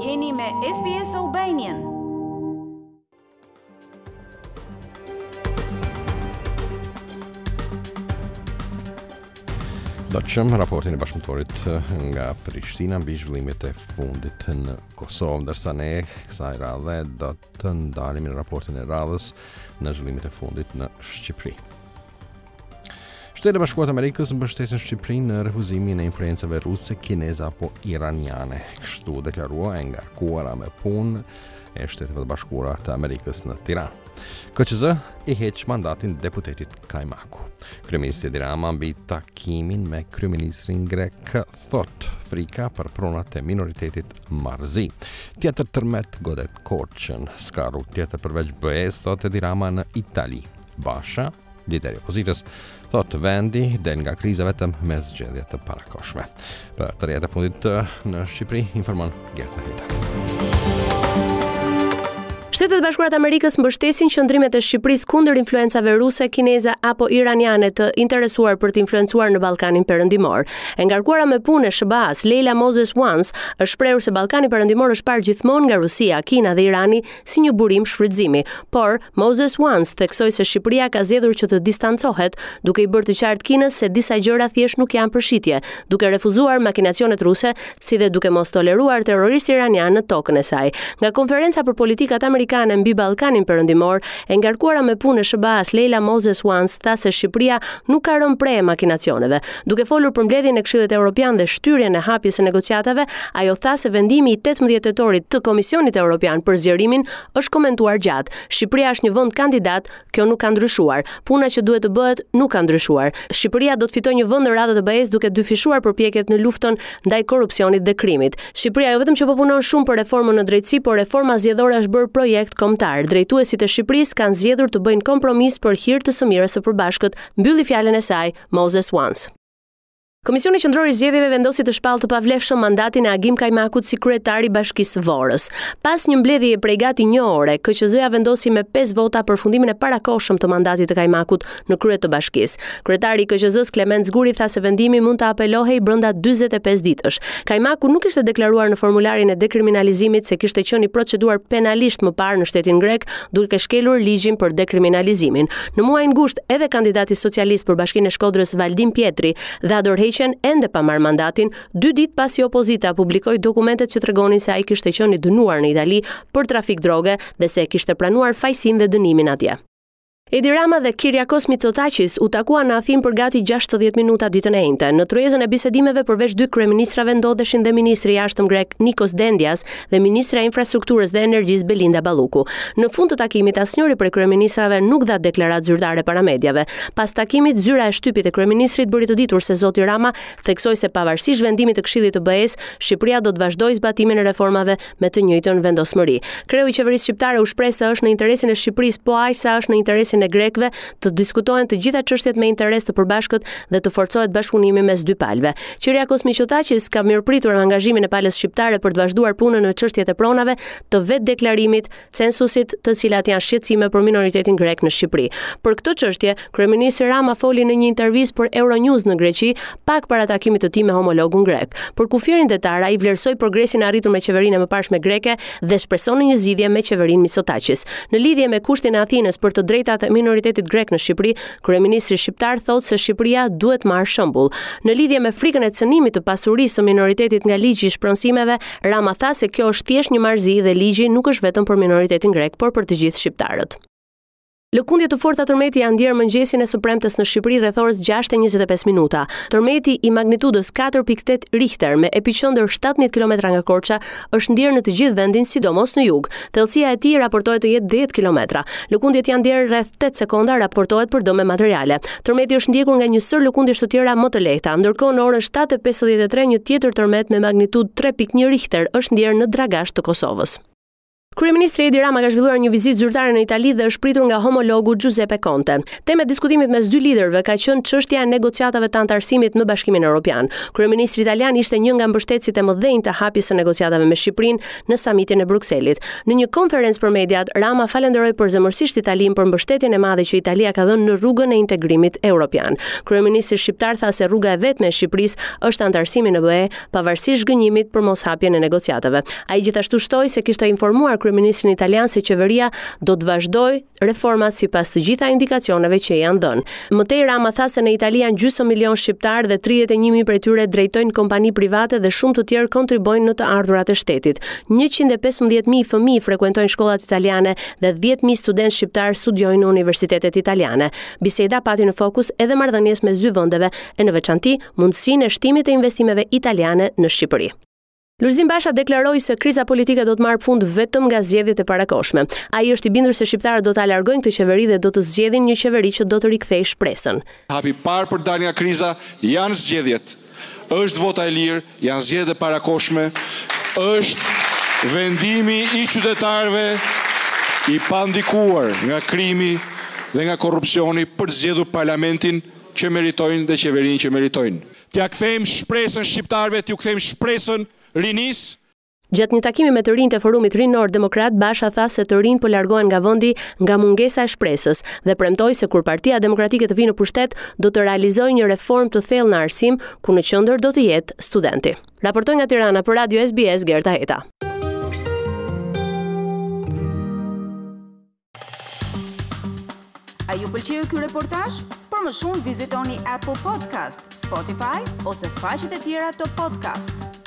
Jeni me SBS Albanian. Dëgjojmë raportin e bashkëpunëtorit eh, nga Prishtina mbi zhvillimet e fundit në Kosovë, ndërsa ne kësaj radhe do të ndalemi në raportin e radhës në zhvillimet e fundit në Shqipëri. Shtetet e Bashkuara të Amerikës mbështesin Shqipërinë në refuzimin e influencave ruse, kineze apo iraniane. Kështu u deklarua e ngarkuara me punë e Shteteve të Bashkuara të Amerikës në Tiranë. KQZ i heq mandatin deputetit Kajmaku. Kryeministri Edi Rama mbi takimin me kryeministrin grek thotë frika për pronat e minoritetit marrëzi. Tjetër tërmet godet Korçën, s'ka rrugë tjetër përveç BE-së, thotë Edi Rama në Itali. Basha Lideri i opozitës thotë vendi del nga kriza vetëm me zgjedhje të parakohshme. Për të rejat e fundit në Shqipëri, informon Gerta Heta. Shtetet e Bashkuara të Amerikës mbështesin qëndrimet e Shqipërisë kundër influencave ruse, kineze apo iraniane të interesuar për të influencuar në Ballkanin Perëndimor. E ngarkuara me punë e SHBA-s, Leila Moses Once, është shprehur se Ballkani Perëndimor është parë gjithmonë nga Rusia, Kina dhe Irani si një burim shfrytëzimi. Por, Moses Once theksoi se Shqipëria ka zgjedhur që të distancohet, duke i bërë të qartë Kinës se disa gjëra thjesht nuk janë për shitje, duke refuzuar makinacionet ruse, si dhe duke mos toleruar terroristë iranianë në tokën e saj. Nga konferenca për politikat amerikane mbi Ballkanin Perëndimor, e ngarkuara me punë e SHBA-s Leila Moses Once tha se Shqipëria nuk ka rënë pre e makinacioneve. Duke folur për mbledhjen e Këshillit Evropian dhe shtyrjen e hapjes së negociatave, ajo tha se vendimi i 18 tetorit të Komisionit Evropian për zgjerimin është komentuar gjatë. Shqipëria është një vend kandidat, kjo nuk ka ndryshuar. Puna që duhet të bëhet nuk ka ndryshuar. Shqipëria do të fitojë një vend në radhët e BE-së duke dyfishuar përpjekjet në luftën ndaj korrupsionit dhe krimit. Shqipëria jo vetëm që po punon shumë për reformën në drejtësi, por reforma zgjedhore është bërë projekt kombëtar. Drejtuesit e Shqipërisë kanë zgjedhur të bëjnë kompromis për hir të së mirës së përbashkët, mbylli fjalën e saj Moses Once. Komisioni Qendror i Zgjedhjeve vendosi të shpallë të pavlefshëm mandatin e Agim Kajmakut si kryetar i Bashkisë së Vorës. Pas një mbledhjeje prej gati një ore, KQZ-ja vendosi me 5 vota përfundimin e parakohshëm të mandatit të Kajmakut në krye të bashkisë. Kryetari i KQZ-së Klement Zguri tha se vendimi mund të apelohej brenda 45 ditësh. Kajmaku nuk ishte deklaruar në formularin e dekriminalizimit se kishte qenë i proceduar penalisht më parë në shtetin grek, duke shkelur ligjin për dekriminalizimin. Në muajin gusht, edhe kandidati socialist për Bashkinë e Shkodrës Valdin Pjetri dha dorëheqjen ende pa marrë mandatin, dy ditë pasi opozita publikoi dokumentet që tregonin se ai kishte qenë i dënuar në Itali për trafik droge dhe se e kishte pranuar fajësinë dhe dënimin atje. Edi Rama dhe Kyriakos Mitsotakis u takuan në Athinë për gati 60 minuta ditën e enjte. Në tryezën e bisedimeve përveç dy kryeministrave ndodheshin dhe ministri i Jashtëm grek Nikos Dendias dhe ministrja e Infrastrukturës dhe Energjisë Belinda Balluku. Në fund të takimit asnjëri prej kryeministrave nuk dha deklaratë zyrtare para mediave. Pas takimit, zyra e shtypit e kryeministrit bëri të ditur se zoti Rama theksoi se pavarësisht vendimit të Këshillit të BE-së, Shqipëria do të vazhdojë zbatimin e reformave me të njëjtën vendosmëri. Kreu i qeverisë shqiptare u shpreh se është në interesin e Shqipërisë po aq sa është në interesin e grekëve të diskutohen të gjitha çështjet me interes të përbashkët dhe të forcohet bashkëpunimi mes dy palëve. Kyriakos Mitsotakis ka mirëpritur angazhimin e palës shqiptare për të vazhduar punën në çështjet e pronave, të vetëdeklarimit, censusit, të cilat janë shqetësime për minoritetin grek në Shqipëri. Për këtë çështje, kryeministri Rama foli në një intervistë për Euronews në Greqi, pak para takimit të tij me homologun grek. Për kufirin detar, ai vlerësoi progresin e arritur me qeverinë e mëparshme greke dhe shpreson në një zgjidhje me qeverinë Mitsotakis. Në lidhje me kushtin e Athinës për të drejtat e minoritetit grek në Shqipëri, Kryeministri shqiptar thotë se Shqipëria duhet marrë shembull. Në lidhje me frikën e cënimit të pasurisë së minoritetit nga ligji i shpronësimeve, Rama tha se kjo është thjesht një marrëzi dhe ligji nuk është vetëm për minoritetin grek, por për të gjithë shqiptarët. Lëkundje të forta tërmeti janë ndjerë mëngjesin e së premtes në Shqipëri rreth orës 6:25 minuta. Tërmeti i magnitudës 4.8 Richter me epiqendër 17 kilometra nga Korça është ndjerë në të gjithë vendin, sidomos në jug. Thellësia e tij raportohet të jetë 10 kilometra. Lëkundjet janë ndjerë rreth 8 sekonda, raportohet për dëme materiale. Tërmeti është ndjekur nga një sërë lëkundjesh të tjera më të lehta. Ndërkohë në orën 7:53 një tjetër tërmet me magnitudë 3.1 Richter është ndjerë në Dragash të Kosovës. Kryeministri Edi Rama ka zhvilluar një vizitë zyrtare në Itali dhe është pritur nga homologu Giuseppe Conte. Temë e diskutimit mes dy liderëve ka qenë çështja e negociatave të anëtarësimit në Bashkimin Evropian. Kryeministri italian ishte një nga mbështetësit e mëdhenj të hapjes së negociatave me Shqipërinë në samitin e Brukselit. Në një konferencë për mediat, Rama falënderoi përzemërsisht Italinë për mbështetjen e madhe që Italia ka dhënë në rrugën e integrimit evropian. Kryeministri shqiptar tha se rruga e vetme e Shqipërisë është anëtarësimi në BE, pavarësisht zhgënjimit për moshapjen e negociatave. Ai gjithashtu shtoi se kishte informuar kryeministrin italian se qeveria do të vazhdojë reformat sipas të gjitha indikacioneve që i janë dhënë. Më tej Rama tha se në Itali janë gjysmë milion shqiptarë dhe 31 mijë prej tyre drejtojnë kompani private dhe shumë të tjerë kontribuojnë në të ardhurat e shtetit. 115 mijë fëmijë frekuentojnë shkollat italiane dhe 10 mijë studentë shqiptarë studiojnë në universitetet italiane. Biseda pati në fokus edhe marrëdhëniet mes dy vendeve e në veçanti mundësinë e shtimit të investimeve italiane në Shqipëri. Lulzim Basha deklaroi se kriza politike do të marrë fund vetëm nga zgjedhjet e parakohshme. Ai është i bindur se shqiptarët do ta largojnë këtë qeveri dhe do të zgjedhin një qeveri që do të rikthejë shpresën. Hapi i parë për të dalë nga kriza janë zgjedhjet. Është vota e lirë, janë zgjedhjet e parakohshme, është vendimi i qytetarëve i pandikuar nga krimi dhe nga korrupsioni për të zgjedhur parlamentin që meritojnë dhe qeverinë që meritojnë. T'ia kthejmë shpresën shqiptarëve, t'ju kthejmë shpresën rinisë. Gjatë një takimi me të rinjtë e Forumit Rinor Demokrat, Basha tha se të rinjtë po largohen nga vendi nga mungesa e shpresës dhe premtoi se kur Partia Demokratike të vijë në pushtet, do të realizojë një reformë të thellë në arsim, ku në qendër do të jetë studenti. Raportoi nga Tirana për Radio SBS Gerta Heta. A ju pëlqeu ky reportazh? Për më shumë vizitoni Apple Podcast, Spotify ose faqet e tjera të podcast.